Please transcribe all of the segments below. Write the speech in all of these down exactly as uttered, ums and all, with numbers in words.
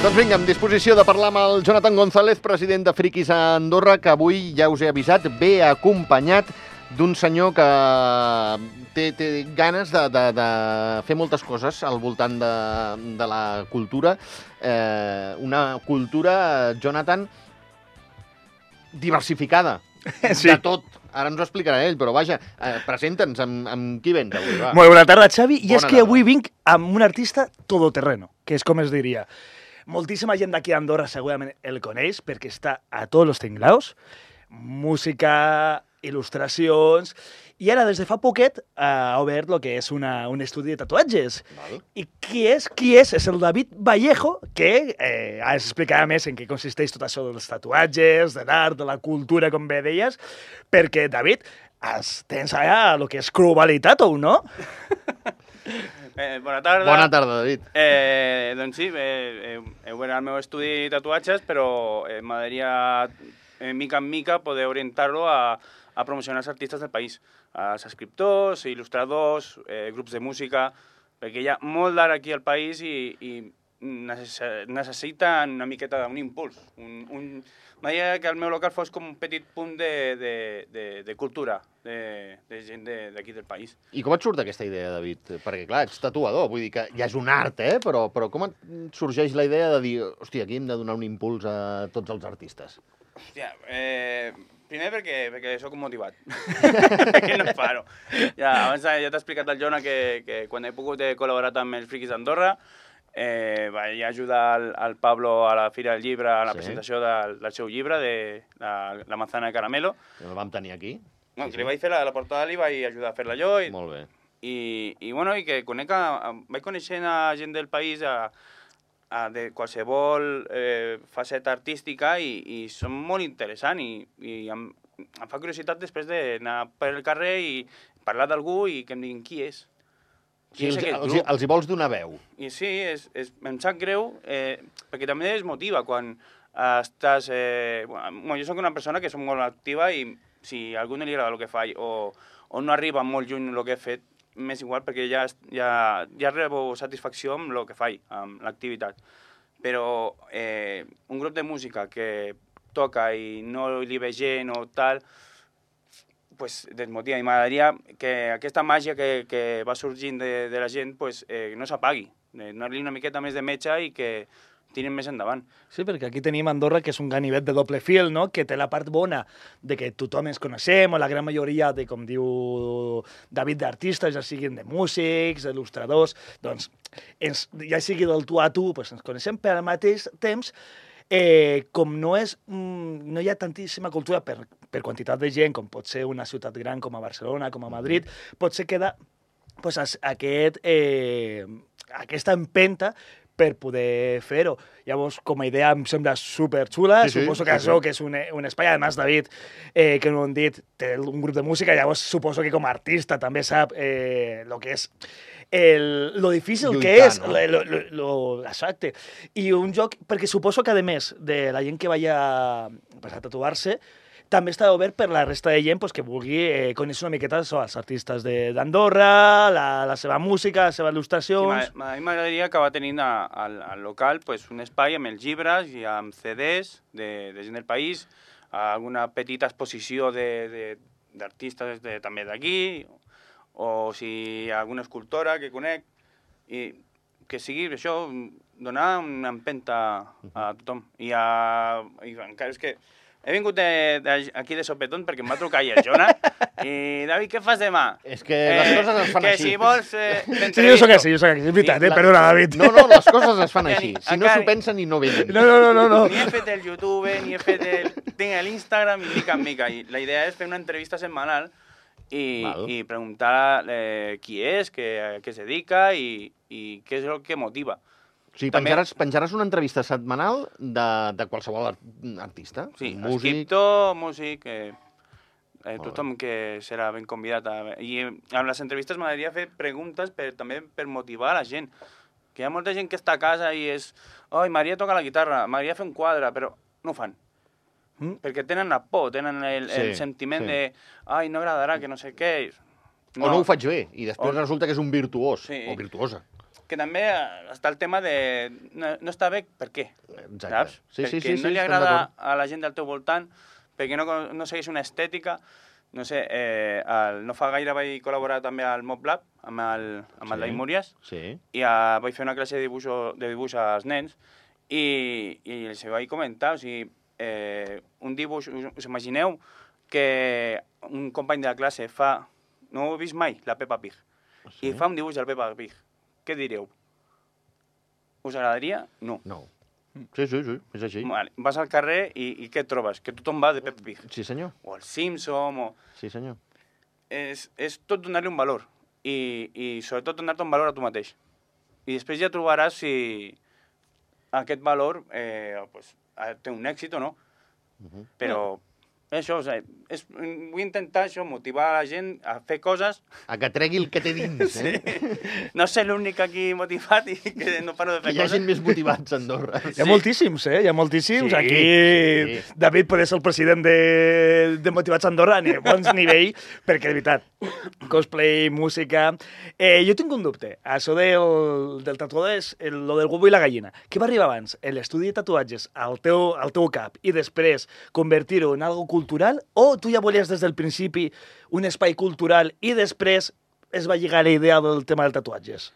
Doncs vinga, en disposició de parlar amb el Jonathan González, president de Friquis a Andorra, que avui, ja us he avisat, ve acompanyat d'un senyor que té, té ganes de, de, de fer moltes coses al voltant de, de la cultura. Eh, una cultura, Jonathan, diversificada. Sí. De tot. Ara ens ho explicarà ell, però vaja, eh, presenta'ns amb, amb qui vens avui. Va. Molt bona tarda, Xavi. I Bona és que tarda. avui vinc amb un artista todoterreno, que és com es diria. Moltíssima gent d'aquí d'Andorra segurament el coneix perquè està a tots els tinglaus. Música, il·lustracions... I ara, des de fa poquet, ha obert el que és una, un estudi de tatuatges. Val. I qui és? Qui és? És el David Vallejo, que eh, ens explicarà més en què consisteix tot això dels tatuatges, de l'art, de la cultura, com bé deies, perquè, David, has, tens allà el que és Crubali Tattoo, no? Eh, bona tarda. Bona tarda, David. Eh, doncs sí, eh, heu obert el meu estudi de tatuatges, però eh, m'agradaria, eh, mica en mica, poder orientar-lo a, a promocionar els artistes del país, als escriptors, il·lustradors, eh, grups de música, perquè hi ha molt d'art aquí al país i, i necess necessita una miqueta d'un impuls. Un, un... M'agradaria que el meu local fos com un petit punt de, de, de, de cultura, de, de gent d'aquí del país. I com et surt aquesta idea, David? Perquè, clar, ets tatuador, vull dir que ja és un art, eh? Però, però com et sorgeix la idea de dir, hòstia, aquí hem de donar un impuls a tots els artistes? Hòstia, eh, primer perquè, perquè sóc motivat, que no paro. Ja, abans ja t'he explicat al Jona que, que quan he pogut he col·laborat amb els Friquis d'Andorra, eh, vaig ajudar al, al Pablo a la Fira del Llibre, a la Sí. presentació del, del seu llibre, de la, la manzana de caramelo. El vam tenir aquí. No, Sí, que li sí. vaig fer la, la portada, li vaig ajudar a fer-la jo. I, Molt bé. i, i, bueno, i que conec a, a, vaig coneixent a gent del país, a, a de qualsevol eh, faceta artística i, i són molt interessants i, i em, em fa curiositat després d'anar per el carrer i parlar d'algú i que em diguin qui és. O sigui, Qui és els, aquest els, grup? els hi vols donar veu. I sí, és, és, em sap greu, eh, perquè també es motiva quan eh, estàs... Eh, bueno, jo soc una persona que soc molt activa i si a algú no li agrada el que faig o, o no arriba molt lluny el que he fet, m'és igual perquè ja, ja, ja rebo satisfacció amb el que faig, amb l'activitat. Però eh, un grup de música que toca i no li ve gent o tal, pues desmotiva. I m'agradaria que aquesta màgia que, que va sorgint de, de la gent pues, eh, no s'apagui, donar-li una miqueta més de metge i que tirin més endavant. Sí, perquè aquí tenim Andorra, que és un ganivet de doble fil, no? Que té la part bona de que tothom ens coneixem, o la gran majoria de, com diu David, d'artistes, ja siguin de músics, d'il·lustradors, doncs, ens, ja sigui del tu a tu, doncs ens coneixem, però al mateix temps, eh, com no, és, mm, no hi ha tantíssima cultura per, per quantitat de gent, com pot ser una ciutat gran com a Barcelona, com a Madrid, potser queda pues, aquest, eh, aquesta empenta per poder fer-ho. Llavors, com a idea, em sembla superxula. Sí, sí, suposo que sí, això sí. que és un, un espai. Además, David, eh, que no ho hem dit, té un grup de música, llavors suposo que com a artista també sap eh, lo que és el, lo difícil Lluitar, que és, no? lo, lo, lo, exacte. I un joc, perquè suposo que, a més, de la gent que vaya pues, a tatuar-se, també està obert per la resta de gent pues, que vulgui eh, conèixer una miqueta so, els artistes d'Andorra, la, la seva música, les seves Sí, il·lustracions... a mi m'agradaria acabar tenint a, al, al local pues, un espai amb els llibres i amb C Ds de, de gent del país, alguna petita exposició d'artistes de, de, també d'aquí, o si hi ha alguna escultora que conec, i que sigui això, donar una empenta a tothom. I, a, i encara és que he vingut de, de, aquí de sopetón perquè em va trucar ahir el Jona i, David, què fas demà? És que les coses es fan que així. si vols... Eh, Sí, jo sóc així, jo sóc així. És veritat, Sí, eh? la- Perdona, David. No, no, les coses es fan Ja així. ni- Si no encara- s'ho pensen i no venen. No, no, no, no, no. Ni he fet el YouTube, ni he fet el... Tinc l'Instagram i mica en mica. I la idea és fer una entrevista setmanal i, Val. i preguntar eh, qui és, què, a què es dedica i, i què és el que motiva. O sigui, També- penjaràs, penjaràs una entrevista setmanal de, de qualsevol art artista? Sí, músic... escriptor, músic, eh, eh, bé. tothom que serà ben convidat. A... I eh, amb les entrevistes m'agradaria fer preguntes per, també per motivar a la gent. Que hi ha molta gent que està a casa i és... Oi, m'agradaria tocar la guitarra, m'agradaria fer un quadre, però no ho fan. Mm? Perquè tenen la por, tenen el, Sí, el sentiment sí. de ai, no agradarà, que no sé què. O no ho faig bé, i després resulta que és un virtuós, Sí. o virtuosa. que també està el tema de... No, no està bé, per què? Exacte. Saps? Sí, sí, perquè sí, no sí, li estem agrada d'acord. a la gent del teu voltant, perquè no, no segueix una estètica. No sé, eh, el, no fa gaire vaig col·laborar també al Mob Lab, amb el, amb Sí. el David Múries, Sí. i uh, vaig fer una classe de dibuix, de dibuix als nens, i, i els vaig comentar, o sigui, eh, un dibuix, us, us imagineu que un company de la classe fa... No ho he vist mai, la Peppa Pig. Sí. I fa un dibuix del Peppa Pig. Què direu? Us agradaria? No. No. Sí, sí, sí, és així. Vale. Vas al carrer i, i què et trobes? Que tothom va de Peppa Pig. Sí, senyor. O el Simpson, o... Sí, senyor. És, és tot donar-li un valor. I, i sobretot donar-te un valor a tu mateix. I després ja trobaràs si aquest valor eh, pues, té un èxit o no. Uh -huh. Però... Això, o sigui, és, vull intentar això, motivar la gent a fer coses. A que tregui el que té dins, eh? Sí. No ser l'únic aquí motivat i que no paro de fer Que hi ha coses. gent més motivats a Andorra. Hi ha moltíssims, eh? Hi ha moltíssims. Sí, Aquí sí. David pot ser el president de, de Motivats Andorra a bons nivell, perquè, de veritat, cosplay, música... Eh, jo tinc un dubte. Això del, del tatuador és el, lo del huevo i la gallina. Què va arribar abans? L'estudi de tatuatges al teu, al teu cap i després convertir-ho en algo cultural, o tu ja volies des del principi un espai cultural i després es va lligar la idea del tema dels tatuatges?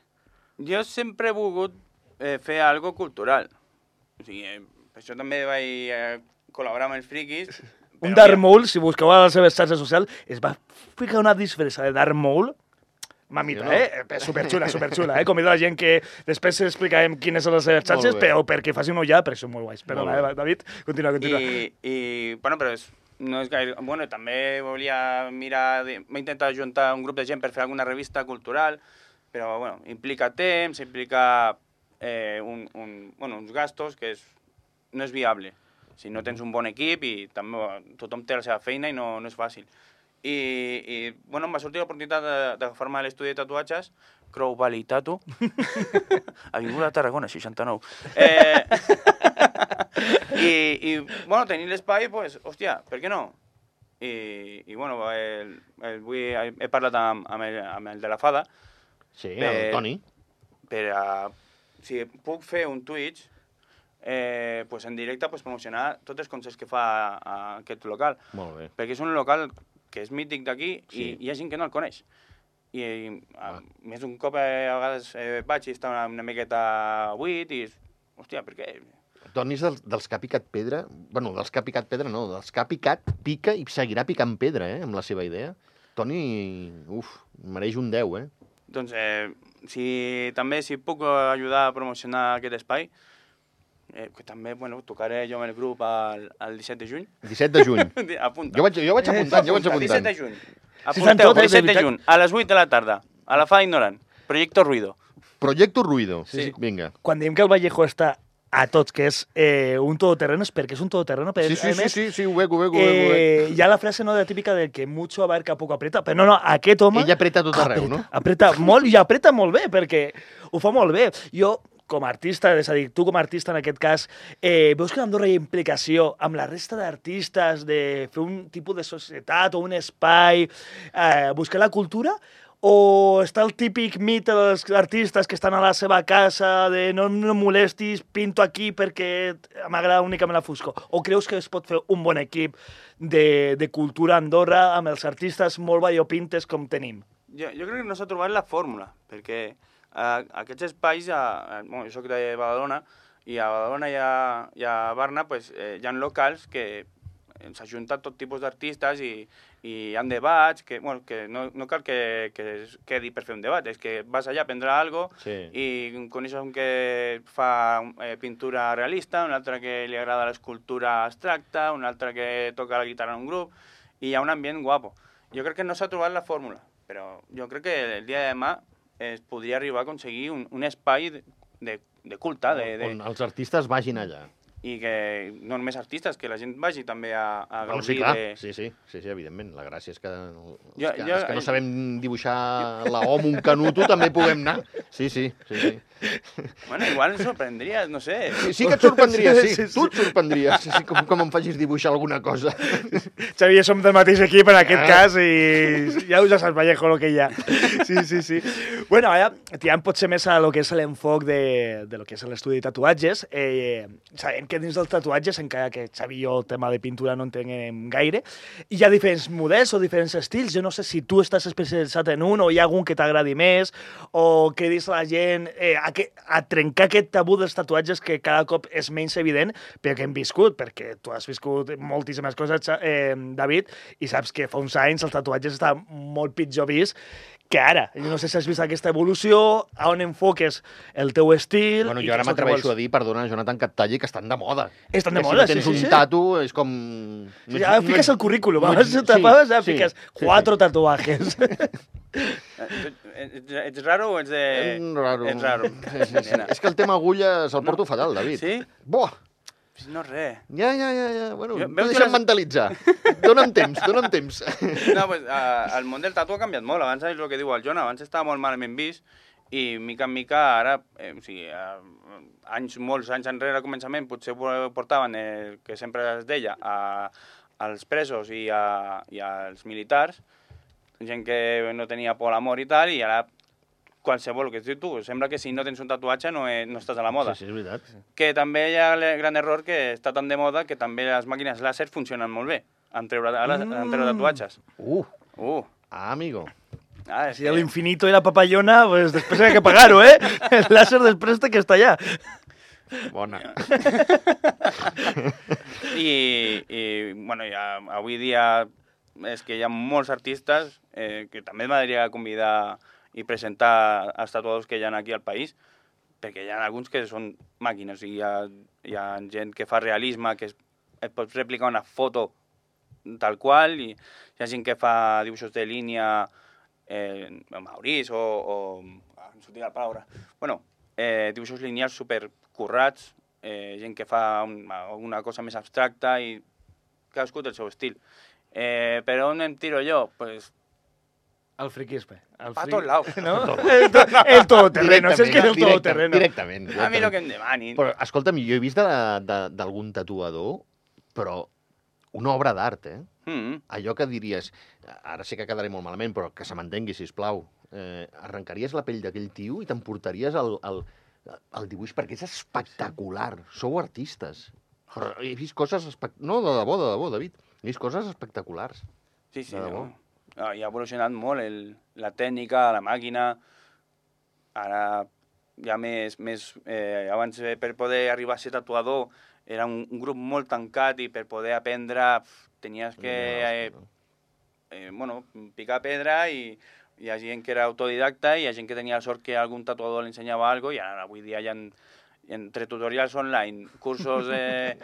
Jo sempre he volgut eh, fer algo cultural. O sigui, eh, per això també vaig eh, col·laborar amb els friquis. Un Darth Maul, si busqueu a les seves xarxes socials, es va ficar una disfressa de Darth Maul. Mamita, Sí, no? eh? Superxula, superxula, eh? Convido a la gent que després explicarem quines són les seves xarxes, Molt bé. però perquè faci un ullar, perquè són molt guais. Perdona, Molt bé. eh, David? Continua, continua. I, i bueno, però és, no és gaire... Bueno, també volia mirar... de- M'he intentat juntar un grup de gent per fer alguna revista cultural, però, bueno, implica temps, implica eh, un, un, bueno, uns gastos que és, no és viable. Si no tens un bon equip i també tothom té la seva feina i no, no és fàcil. I, i bueno, em va sortir l'oportunitat de- d'agafar-me a l'estudi de tatuatges, Crow Valley Tattoo, Avinguda Tarragona, seixanta-nou. Eh, i, i, bueno, tenir l'espai, pues, hòstia, per què no? I, i bueno, el, el, avui he, he parlat amb, amb, el, amb el de la Fada, Sí, el Per- Toni. per a, si puc fer un Twitch, eh, pues en directe pues, promocionar tots els concerts que fa a, a aquest local. Molt bé. Perquè és un local que és mític d'aquí Sí. i hi ha gent que no el coneix. I, i a, Ah. més d'un cop eh, a vegades eh, vaig i està una, una miqueta buit i, hòstia, per què? Toni és dels, dels que ha picat pedra. Bueno, dels que ha picat pedra no, dels que ha picat, pica i seguirà picant pedra, eh, amb la seva idea. Toni, uf, mereix un deu, eh? Doncs, eh, si, també, si puc ajudar a promocionar aquest espai, eh, que també, bueno, tocaré jo amb el grup al, al disset de juny. disset de juny. Apunta. Jo vaig, jo vaig apuntant, jo vaig Apunta, disset apuntant. de juny. Sí, estan Apunteu, tot, eh, de disset de veritat. juny, a les vuit de la tarda, a la Fada Ignorant, Proyecto Ruido. Proyecto Ruido. Sí. Vinga. Quan diem que el Vallejo està a tots, que és eh, un todoterreno, és perquè és un todoterreno. Però, Sí, sí, a sí, més, sí, sí, ho veig, ho veig, ho veig. ho veig. Eh, hi ha la frase no, de típica del que mucho abarca poco aprieta, però no, no, aquest home... Ell apreta tot arreu, apreta, no? Apreta molt i apreta molt bé, perquè ho fa molt bé. Jo, com a artista, és a dir, tu com a artista en aquest cas, eh, veus que a Andorra hi ha implicació amb la resta d'artistes de fer un tipus de societat o un espai, eh, buscar la cultura, o està el típic mite dels artistes que estan a la seva casa de no em molestis, pinto aquí perquè m'agrada únicament la foscor? O creus que es pot fer un bon equip de, de cultura a Andorra amb els artistes molt variopintes com tenim? Jo, jo crec que no s'ha trobat la fórmula, perquè eh, aquests espais, a, a, bueno, jo soc de Badalona, i a Badalona i a, i a Barna pues, eh, hi ha locals que s'ajunten tot tipus d'artistes i, i hi ha debats, que, bueno, que no, no cal que, que es quedi per fer un debat, és que vas allà a aprendre alguna cosa Sí. i coneixes un que fa eh, pintura realista, un altre que li agrada l'escultura abstracta, un altre que toca la guitarra en un grup, i hi ha un ambient guapo. Jo crec que no s'ha trobat la fórmula, però jo crec que el dia de demà es podria arribar a aconseguir un, un espai de, de, de culte, de, de, On els artistes vagin allà. i que no només artistes, que la gent vagi també a, a Bueno, gaudir sí, clar, de... sí, sí, sí, sí, evidentment. La gràcia és que, els, Jo- que, jo- els que no sabem dibuixar la O amb un canuto també puguem anar. Sí, sí, sí, sí. Bueno, igual em sorprendria, no sé. Sí, sí que et sorprendria, sí. Sí, sí, sí. Tu et sorprendries, sí, sí, com, com em facis dibuixar alguna cosa. Xavi, som del mateix equip en aquest Ah. cas i ja us ja saps, Vallejo, el que hi ha. Sí, sí, sí. Bueno, ara, tirant potser més a lo que és l'enfoc de, de lo que és l'estudi de tatuatges, eh, sabem que dins dels tatuatges, encara que Xavi i jo el tema de pintura no entenem gaire, hi ha diferents models o diferents estils. Jo no sé si tu estàs especialitzat en un o hi ha algun que t'agradi més o que dis a la gent eh, a, que, a trencar aquest tabú dels tatuatges que cada cop és menys evident perquè hem viscut, perquè tu has viscut moltíssimes coses, eh, David, i saps que fa uns anys els tatuatges estaven molt pitjor vist que ara. Jo no sé si has vist aquesta evolució, a on enfoques el teu estil... Bueno, jo ara m'atreveixo a dir, perdona, Jonathan, que et talli, que estan de moda. Estan de que moda, si no tens sí, sí, un sí. tatu, és com... Sí, ja fiques el currículum, no- abans sí, te tapes, ja sí, fiques sí, quatre sí. tatuajes. Ets, ets raro o ets de... Mm, raro. Ets raro. Sí, sí, sí. És que el tema agulles el porto fatal, David. Sí? Buah! No és res. Ja, ja, ja, ja. Bueno, Jo- no veus deixa'm unes- mentalitzar. Dóna'm temps, dóna'm temps. No, pues, uh, el món del tatu ha canviat molt. Abans és el que diu el Jona, abans estava molt malament vist i mica en mica ara, eh, o sigui, uh, anys, molts anys enrere al començament potser portaven el que sempre es deia a, als presos i, a, i als militars, gent que no tenia por a l'amor i tal, i ara qualsevol, el que dius tu, sembla que si no tens un tatuatge no, eh, no estàs a la moda. Sí, sí, és veritat. Que també hi ha el gran error que està tan de moda que també les màquines làser funcionen molt bé en treure, ara, Mm. en treure tatuatges. Uh, Uh, ah, amigo. ah, és Si que- l'infinito i la papallona, pues després hay que pagar-ho, eh? El láser després té que estar allà. Bona. I, i bueno, ja, avui dia és que hi ha molts artistes eh, que també m'agradaria convidar i presentar els tatuadors que hi ha aquí al país, perquè hi ha alguns que són màquines, i hi ha, hi ha gent que fa realisme, que es, et pots replicar una foto tal qual, i hi ha gent que fa dibuixos de línia, eh, Maurice o... o ah, em sortia la paraula. Bueno, eh, dibuixos lineals supercurrats, eh, gent que fa un, una cosa més abstracta i cadascú té el seu estil. Eh, per on em tiro jo? Pues, El friquisme. El pa fri- tots laus. No? El, to el todoterreno, si és que és el Directament, todoterreno. Directament. A mi el que em demanin. Però, escolta'm, jo he vist de- de- d'algun tatuador, però una obra d'art, eh? Mm. Allò que diries, ara sé que quedaré molt malament, però que se m'entengui, sisplau. Eh, arrencaries la pell d'aquell tio i t'emportaries el, el, el dibuix, perquè és espectacular. Sou artistes. Però he vist coses... Espect... No, de debò, de debò, David. He vist coses espectaculars. Sí, sí, De debò. no. Ah, i ha evolucionat molt el, la tècnica, la màquina. Ara hi ha més... més eh, abans, eh, per poder arribar a ser tatuador, era un, un grup molt tancat i per poder aprendre pf, tenies que eh, eh, bueno, picar pedra i hi ha gent que era autodidacta i hi ha gent que tenia la sort que algun tatuador li ensenyava alguna cosa i ara avui dia hi ha, entre tutorials online, cursos eh,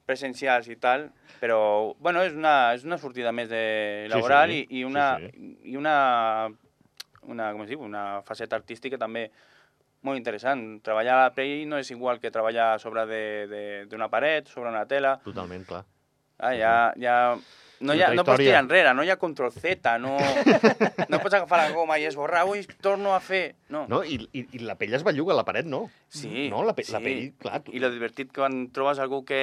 presencials i tal, però bueno, és una, és una sortida més de laboral sí, i, i una, sí, sí. i una, una, com es diu, una faceta artística també molt interessant. Treballar a la pell no és igual que treballar a sobre d'una paret, sobre una tela. Totalment, clar. Ah, ja, ja... No, hi ha, Altra no pots història. tirar enrere, no hi ha control Z, no, no pots agafar la goma i esborrar, ui, torno a fer... No. No, i, i, i la pell es belluga, la paret no. Sí, No, la, pe sí. la pell, clar. Tu... I lo divertit que quan trobes algú que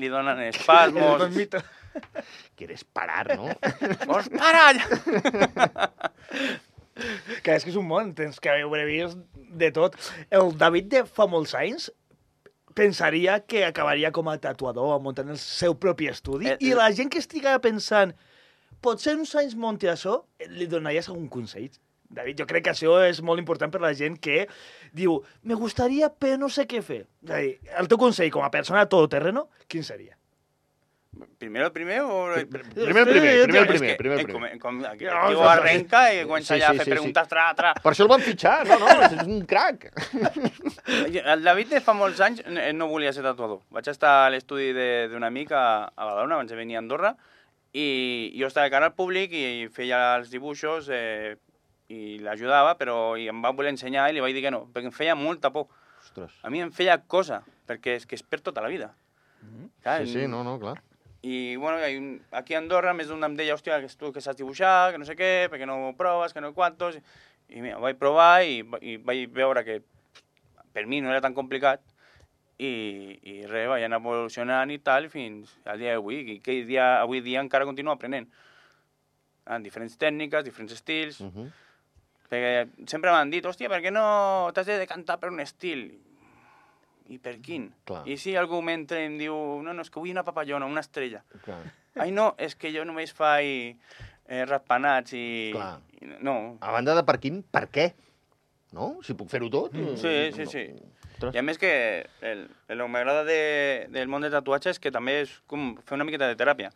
li donen espasmos... Quieres parar, no? Vols parar allà? Que és que és un món, tens que haver vist de tot. El David de fa molts anys pensaria que acabaria com a tatuador, muntant el seu propi estudi, Eh, i eh. la gent que estiga pensant potser uns anys monti això, li donaries algun consell? David, jo crec que això és molt important per la gent que diu, me gustaría, però no sé què fer. És a dir, el teu consell com a persona todoterreno, quin seria? Primero el primer o... Primer el primer, Sí, primer el És primer, que, primer eh, el primer. com, com, aquí, Ja, aquí ja, ho ja. arrenca i comença Sí, ja sí, a fer sí, preguntes tra, tra. Per això el van fitxar, no, no, és un crac. El David de fa molts anys eh, no volia ser tatuador. Vaig estar a l'estudi de- d'un amic a, a Badalona, abans de venir a Andorra, i jo estava de cara al públic i feia els dibuixos eh, i l'ajudava, però i em va voler ensenyar i li vaig dir que no, perquè em feia molta por. Ostres. A mi em feia cosa, perquè és que és per tota la vida. Clar, Sí, sí, no, no, clar. I, bueno, hi ha un, aquí a Andorra més d'un em deia, hòstia, que tu que saps dibuixar, que no sé què, perquè no ho proves, que no quantos... I mira, ho vaig provar i, i vaig veure que per mi no era tan complicat i, i res, vaig anar evolucionant i tal fins al dia d'avui, i que dia, avui dia encara continuo aprenent. En diferents tècniques, diferents estils... Uh -huh. Perquè sempre m'han dit, hòstia, per què no t'has de decantar per un estil? I per quin? Clar. I si algú m'entra i em diu, no, no, és que vull una papallona, una estrella. Clar. Ai, no, és que jo només faig eh, ratpenats i... Clar. i... No. A banda de per quin, per què? No? Si puc fer-ho tot? Mm. Sí, sí, sí. Ostres. I a més que el, el que m'agrada de, del món de tatuatge és que també és com fer una miqueta de teràpia.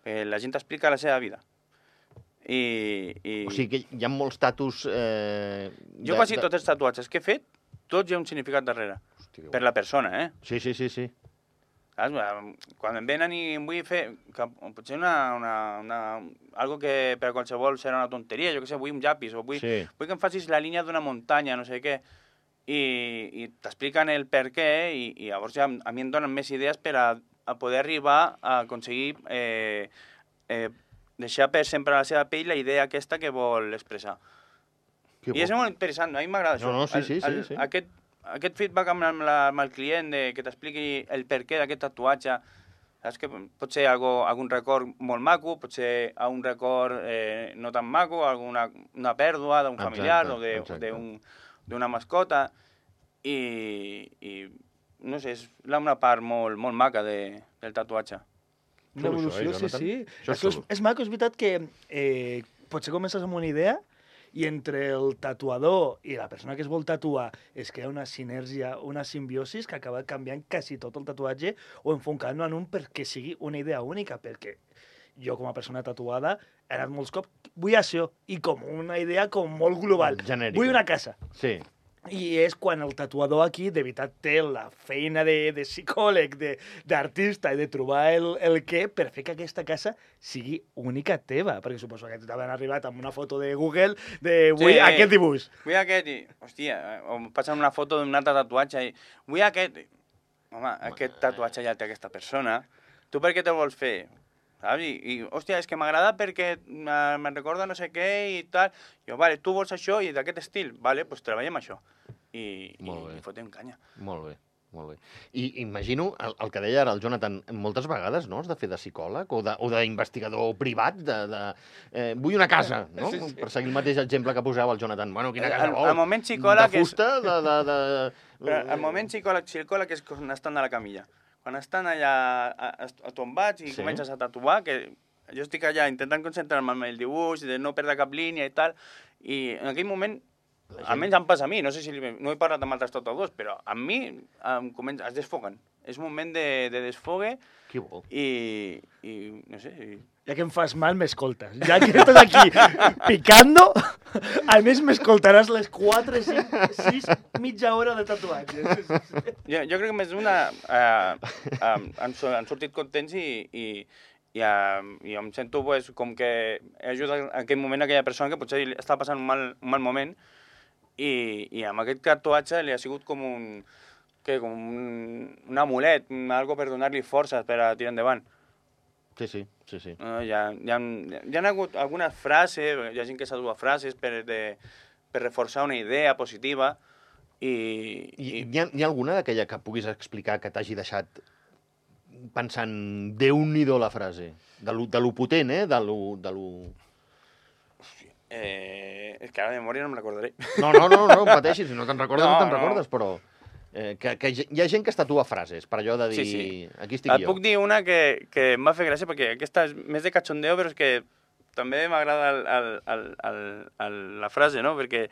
Eh, la gent t'explica la seva vida. I, i... O sigui que hi ha molts tatus... Eh, Jo de, quasi de... tots els tatuatges que he fet, tots hi ha un significat darrere. Hosti, Per la persona, eh? Sí, sí, sí, sí. Saps? Quan em venen i em vull fer... Que, potser una, una, una, algo que per a qualsevol serà una tonteria, jo què sé, vull un llapis, o vull, Sí. vull que em facis la línia d'una muntanya, no sé què, i, i t'expliquen el per què, i, i llavors ja a mi em donen més idees per a, a poder arribar a aconseguir eh, eh, deixar per sempre a la seva pell la idea aquesta que vol expressar. Que I és molt interessant, a mi m'agrada això. No, no, sí, El- sí, sí, el, sí. Aquest, aquest feedback amb, amb, la, amb el client, de, que t'expliqui el per què d'aquest tatuatge, saps que pot ser algo, algun record molt maco, pot ser un record eh, no tan maco, alguna una pèrdua d'un Exacte, familiar o de- exacte. d'un- d'una mascota, i, i no sé, és la- una part molt, molt maca de, del tatuatge. Una Xulo, evolució, això, eh, sí, Jonathan? sí. Això és Això és, xulo. és maco, és veritat que eh, potser comences amb una idea i entre el tatuador i la persona que es vol tatuar es crea una sinergia, una simbiosis que acaba canviant quasi tot el tatuatge o enfocant-lo en un perquè sigui una idea única, perquè jo com a persona tatuada he anat molts cops, vull això, i com una idea com molt global. Genèrica. Vull una casa. Sí. I és quan el tatuador aquí, de veritat, té la feina de, de psicòleg, de- d'artista i de trobar el, el què per fer que aquesta casa sigui única teva. Perquè suposo que t'han arribat amb una foto de Google de vull Sí. aquest dibuix. Vull aquest, i, hòstia, o em passen una foto d'un altre tatuatge i vull aquest. I, home, aquest tatuatge ja el té aquesta persona. Tu per què te'l vols fer? Saps? I, i hòstia, és que m'agrada perquè me- me'n recorda no sé què i tal. I jo, vale, tu vols això i d'aquest estil? Vale, doncs treballem això. I, i, Molt bé. i fotem canya. Molt bé, molt bé. I imagino, el, el que deia ara el Jonathan, moltes vegades, no?, has de fer de psicòleg o de- o d'investigador privat, de... de eh, vull una casa, no? Sí, sí. Per seguir el mateix exemple que posava el Jonathan. Bueno, quina El- casa el- vol? el moment psicòleg de és- fusta, de... de, de... Però el moment psicòleg, psicòleg és quan estan a la camilla. Quan estan allà a, a, a tombats i Sí. sí. comences a tatuar, que jo estic allà intentant concentrar-me en el dibuix, de no perdre cap línia i tal, i en aquell moment, gent- almenys em passa a mi, no sé si li- no he parlat amb altres tatuadors, però a mi em comença, es desfoguen. És un moment de, de desfogue Qui vol? i, i no sé, i, Ja que em fas mal, m'escoltes. Ja que estàs aquí picando, a més m'escoltaràs les quatre, cinc, sis, mitja hora de tatuatge. Sí, sí, sí. Jo, jo crec que més d'una eh, eh, han, su- han sortit contents i, i, i, eh, i em sento pues, com que he ajudat en aquell moment a aquella persona que potser li està passant un mal, un mal moment i, i amb aquest tatuatge li ha sigut com un, que, com un, un amulet, un, algo per donar-li forces per a tirar endavant. Sí, sí, sí, sí. Uh, hi, ha, hi, ha, hi ha hagut algunes frases, hi ha gent que s'ha dut frases per, de, per reforçar una idea positiva i, I i hi ha, hi ha alguna d'aquella que puguis explicar que t'hagi deixat pensant, Déu-n'hi-do la frase? De lo, de lo potent, eh? De lo... De lo... Eh, és que ara de memòria no me'n recordaré. No, no, no, no, no pateixis, si no te'n recordes, no, No, no te'n no. recordes, però... Eh, que, que hi ha gent que es tatua frases, per allò de dir, Sí, sí. aquí estic Et jo. puc dir una que, que em va fer gràcia, perquè aquesta és més de cachondeo, però és que també m'agrada el, el, el, el, el, la frase, no? Perquè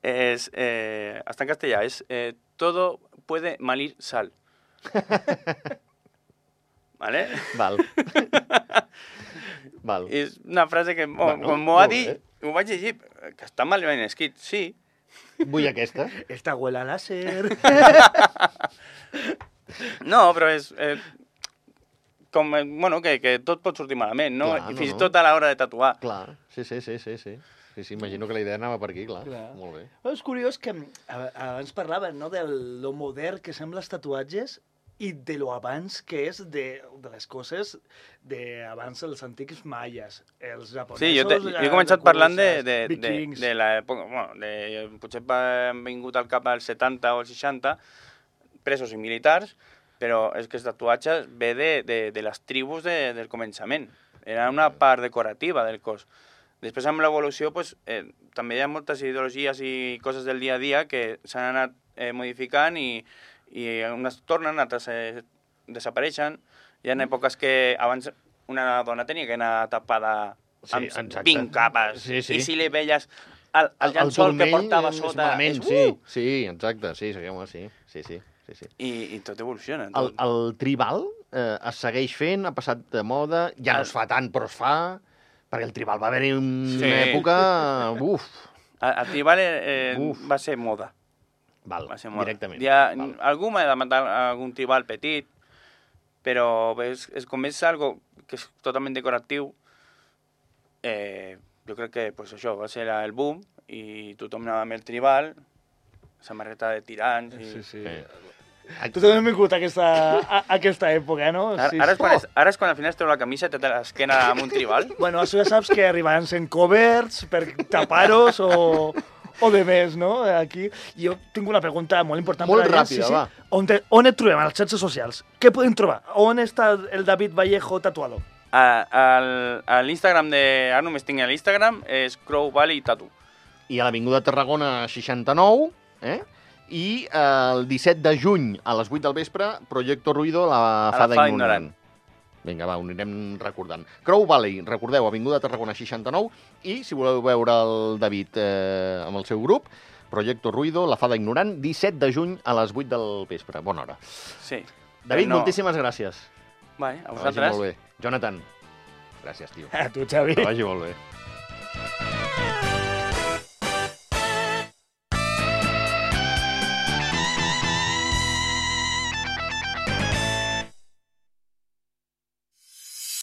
és, eh, està en castellà, és eh, todo puede malir sal. ¿Vale? Val. Val. És una frase que Bueno, bueno, quan m'ho va molt dir, bé. ho vaig llegir, que està mal ben escrit, sí. Vull aquesta. Esta abuela láser. No, però és... Eh, com, eh, bueno, que, que tot pot sortir malament, no? Clar, I no, fins i no. tot a l'hora de tatuar. Clar, sí, sí, sí, sí, sí. Sí, sí, imagino que la idea anava per aquí, clar. Clar. Molt bé. Però és curiós que a- abans parlaven, no, de lo modern que sembla els tatuatges i de lo abans que és de, de les coses de abans els antics maies, els japonesos... Sí, jo, te, jo he eh, començat de parlant de, curses, de, de, vikings. de l'època... Bueno, de, potser han vingut al cap als setanta o als seixanta, presos i militars, però és que el tatuatge ve de, de, de les tribus de, del començament. Era una part decorativa del cos. Després, amb l'evolució, pues, eh, també hi ha moltes ideologies i coses del dia a dia que s'han anat eh, modificant i, i unes tornen, altres eh, desapareixen. Hi ha èpoques que abans una dona tenia que anar tapada Sí, amb exacte. vint capes. Sí, sí. I si li veies el, el llençol que portava és sota... malament, és, sí, uh! sí, exacte, sí, seguim sí, sí, sí, sí, sí. I, I tot evoluciona. El, Tot. el tribal eh, es segueix fent, ha passat de moda, ja no es fa tant, però es fa, perquè el tribal va haver-hi una Sí. època... Uf, El, el tribal eh, Uf. va ser moda. val, Va ser moda. directament. Hi ha, Val. algú m'ha demanat algun tribal petit, però és, és com és algo que és totalment decoratiu, eh, jo crec que pues, això va ser el boom i tothom anava amb el tribal, samarreta de tirants... I... Sí, sí. Eh, Tu també has vingut a aquesta, a, a aquesta època, no? Ara, Sí, ara, és sí. quan és, ara és quan al final es treu la camisa i té l'esquena amb un tribal. Bueno, això ja saps que arribaran sent coberts per tapar-os o, o de més, no? Aquí. Jo tinc una pregunta molt important. Molt per a ràpida, sí, sí. va. On, te, on et trobem? A les xarxes socials. Què podem trobar? On està el David Vallejo tatuado? A, al, a l'Instagram de... Ara només tinc l'Instagram, és Crow Valley Tattoo. I a l'Avinguda Tarragona seixanta-nou, eh? I eh, el disset de juny a les vuit del vespre, Proyecto Ruido, la la fada fada ignorant. ignorant. Vinga, va, ho anirem recordant. Crow Valley, recordeu, Avinguda Tarragona seixanta-nou, i si voleu veure el David eh, amb el seu grup, Proyecto Ruido, la fada ignorant, disset de juny a les vuit del vespre. Bona hora. Sí. David, no. moltíssimes gràcies. Vale, a Que vagi vosaltres. molt bé. Jonathan, gràcies, tio. A tu, Xavi. Que vagi molt bé.